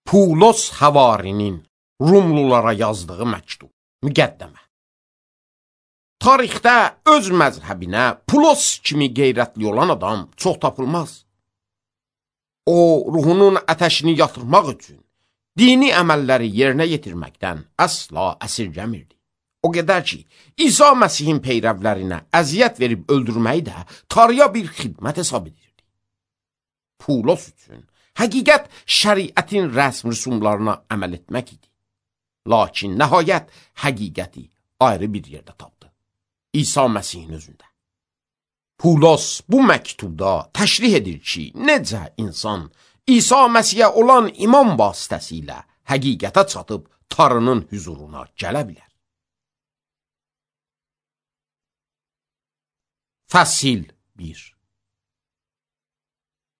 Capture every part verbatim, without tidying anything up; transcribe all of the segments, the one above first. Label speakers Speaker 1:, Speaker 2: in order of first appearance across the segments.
Speaker 1: Pulos Həvarinin Rumlulara yazdığı məktub, müqəddəmə. Tarixdə öz məzhəbinə Pulos kimi qeyrətli olan adam çox tapılmaz. O, ruhunun ətəşini yatırmaq üçün dini əməlləri yerinə yetirməkdən əsla əsirgəmirdi. O qədər ki, İsa Məsihin peyrəvlərinə əziyyət verib öldürməyi də tarıya bir xidmət hesab edirdi. Pulos üçün həqiqət şəriətin rəsm rüsumlarına əməl etmək idi. Lakin nəhayət həqiqəti ayrı bir yerdə tapdı. İsa Məsihin özündə. Pulos bu məktubda təşrih edir ki, necə insan İsa Məsihə olan iman vasitəsilə həqiqətə çatıb Tanrının hüzuruna gələ bilər. Fəsil bir.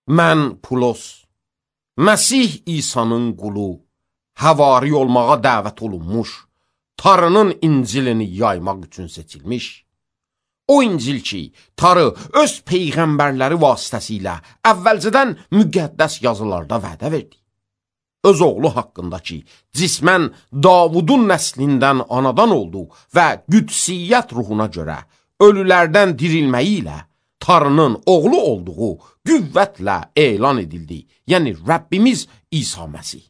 Speaker 1: Mən Pulos, Məsih İsa'nın qulu, həvari olmağa dəvət olunmuş, Tanrının İncilini yaymaq üçün seçilmiş. O İncil ki, Tanrı öz peyğəmbərləri vasitəsilə əvvəlcədən müqəddəs yazılarda vədə verdi. Öz oğlu haqqında ki, cismən Davudun nəslindən anadan oldu və qüdsiyyət ruhuna görə ölülərdən dirilməyi ilə Tanrının oğlu olduğu qüvvətlə elan edildi. Yəni Rəbbimiz İsa Məsih.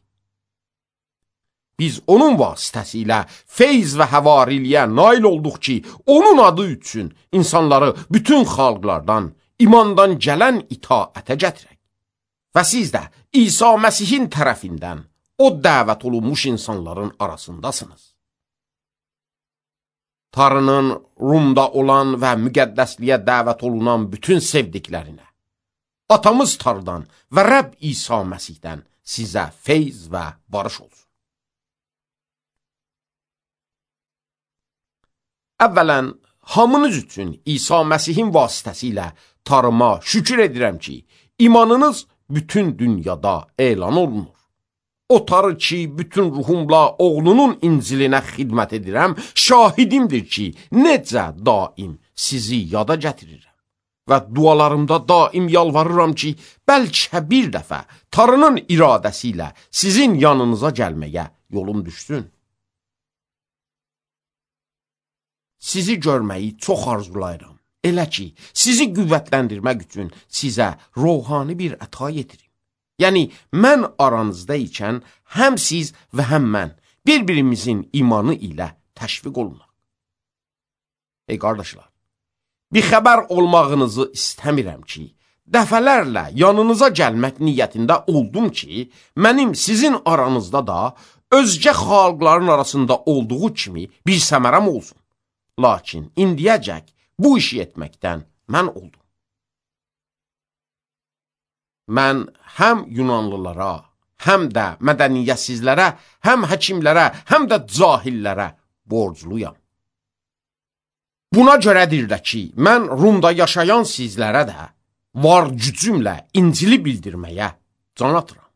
Speaker 1: Biz onun vasitəsilə feyz və həvariliyə nail olduq ki, onun adı üçün insanları bütün xalqlardan, imandan gələn itaətə gətirək. Və siz də İsa Məsihin tərəfindən o dəvət olunmuş insanların arasındasınız. Tanrının Rumda olan və müqəddəsliyə dəvət olunan bütün sevdiklərinə, atamız Tanrıdan və Rəbb İsa Məsihdən sizə feyz və barış olsun. Əvvələn, hamınız üçün İsa Məsihin vasitəsilə Tanrıma şükür edirəm ki, imanınız bütün dünyada elan olunur. O Tanrı ki, bütün ruhumla oğlunun İncilinə xidmət edirəm, şahidimdir ki, necə daim sizi yada gətirirəm. Və dualarımda daim yalvarıram ki, bəlkə bir dəfə Tanrının iradəsi ilə sizin yanınıza gəlməyə yolum düşsün. Sizi görməyi çox arzulayıram. Elə ki, sizi qüvvətləndirmək üçün sizə ruhani bir əta yetirim. Yəni, mən aranızda ikən həm siz və həm mən bir-birimizin imanı ilə təşviq olunaq. Ey qardaşlar, bir xəbər olmağınızı istəmirəm ki, dəfələrlə yanınıza gəlmək niyyətində oldum ki, mənim sizin aranızda da özgə xalqların arasında olduğu kimi bir səmərəm olsun. Lakin indiyəcək bu işi etməkdən mən oldum. Mən həm Yunanlılara, həm də mədəniyyətsizlərə, həm həkimlərə, həm də cahillərə borcluyam. Buna görədir də ki, mən Rumda yaşayan sizlərə də var gücümlə İncili bildirməyə can atıram.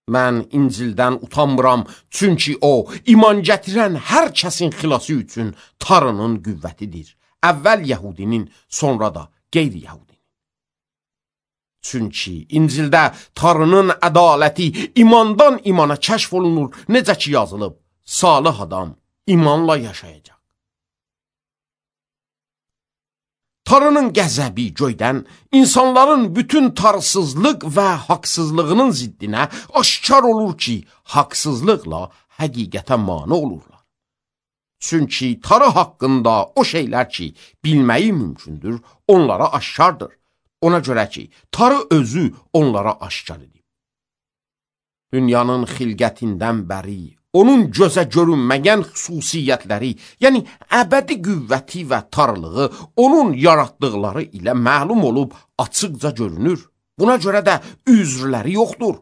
Speaker 1: Mən İncildən utanmıram, çünki o, iman gətirən hər kəsin xilası üçün Tanrının qüvvətidir. Əvvəl Yəhudinin, sonra da qeyri-Yəhudinin. Çünki İncildə Tanrının ədaləti imandan imana kəşf olunur, necə ki yazılıb, salih adam imanla yaşayacaq. Tanrının qəzəbi göydən insanların bütün tarsızlıq və haqsızlığının ziddinə aşkar olur ki, haqsızlıqla həqiqətə mane olurlar. Çünki Tanrı haqqında o şeylər ki, bilməyi mümkündür, onlara aşkardır. Ona görə ki, Tanrı özü onlara aşkar edib. Dünyanın xilqətindən bəri, onun gözə görünməyən xüsusiyyətləri, yəni əbədi qüvvəti və tarlığı onun yaratdıqları ilə məlum olub açıqca görünür. Buna görə də üzrləri yoxdur.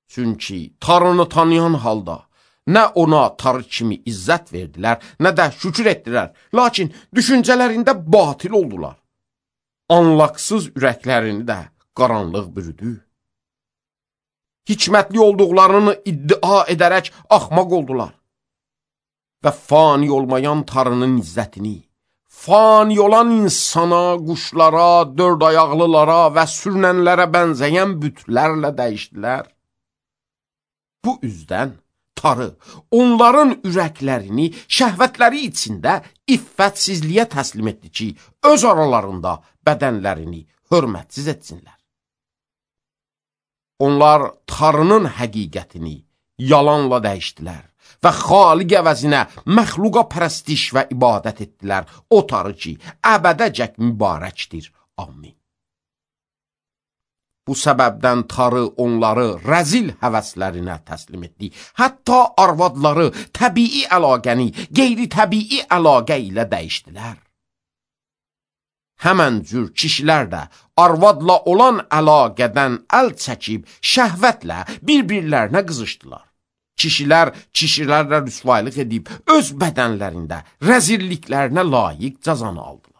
Speaker 1: Çünki Tanrını tanıyan halda nə ona Tanrı kimi izzət verdilər, nə də şükür etdilər, lakin düşüncələrində batil oldular. Anlaqsız ürəklərini də qaranlıq bürüdü. Hikmətli olduqlarını iddia edərək axmaq oldular. Və fani olmayan Tanrının izzətini, fani olan insana, quşlara, dörd ayaqlılara və sürünənlərə bənzəyən bütlərlə dəyişdilər. Bu üzdən tarı onların ürəklərini şəhvətləri içində iffətsizliyə təslim etdi ki, öz aralarında bədənlərini hörmətsiz etsinlər. Onlar tarının həqiqətini yalanla dəyişdilər və xaliq əvəzinə məxluqa pərəstiş və ibadət etdilər. O tarı ki, əbədəcək mübarəkdir. Amin. Bu səbəbdən tarı onları rəzil həvəslərinə təslim etdi. Hətta arvadları təbii əlaqəni qeyri-təbii əlaqə ilə dəyişdilər. Həmən cür kişilər də arvadla olan əlaqədən əl çəkib şəhvətlə bir-birlərinə qızışdılar. Kişilər kişilərlə rüsvaylıq edib öz bədənlərində rəzilliklərinə layiq cəzanı aldılar.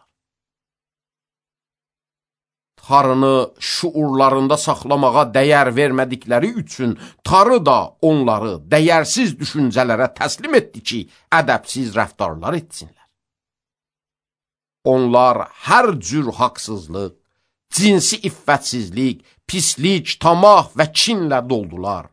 Speaker 1: Tarını şuurlarında saxlamağa dəyər vermədikləri üçün tarı da onları dəyərsiz düşüncələrə təslim etdi ki, ədəbsiz rəftarlar etsinlər. Onlar hər cür haqsızlıq, cinsi iffətsizlik, pislik, tamah və kinlə doldular.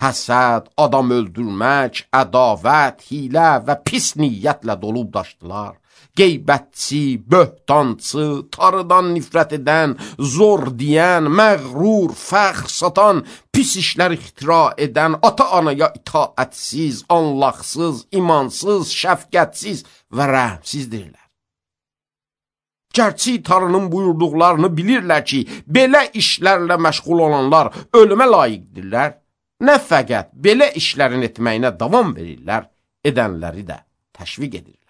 Speaker 1: Həsəd, adam öldürmək, ədavət, hilə və pis niyyətlə dolub daşdılar. Qeybətçi, böhtancı, tarıdan nifrət edən, zor deyən, məğrur, fəxr satan, pis işlər ixtira edən, ata-anaya itaətsiz, anlaqsız, imansız, şəfqətsiz və rəhmsizdirlər. Gərçi tarının buyurduqlarını bilirlər ki, belə işlərlə məşğul olanlar ölümə layiqdirlər, nə fəqət belə işlərin etməyinə davam verirlər, edənləri də təşviq edirlər.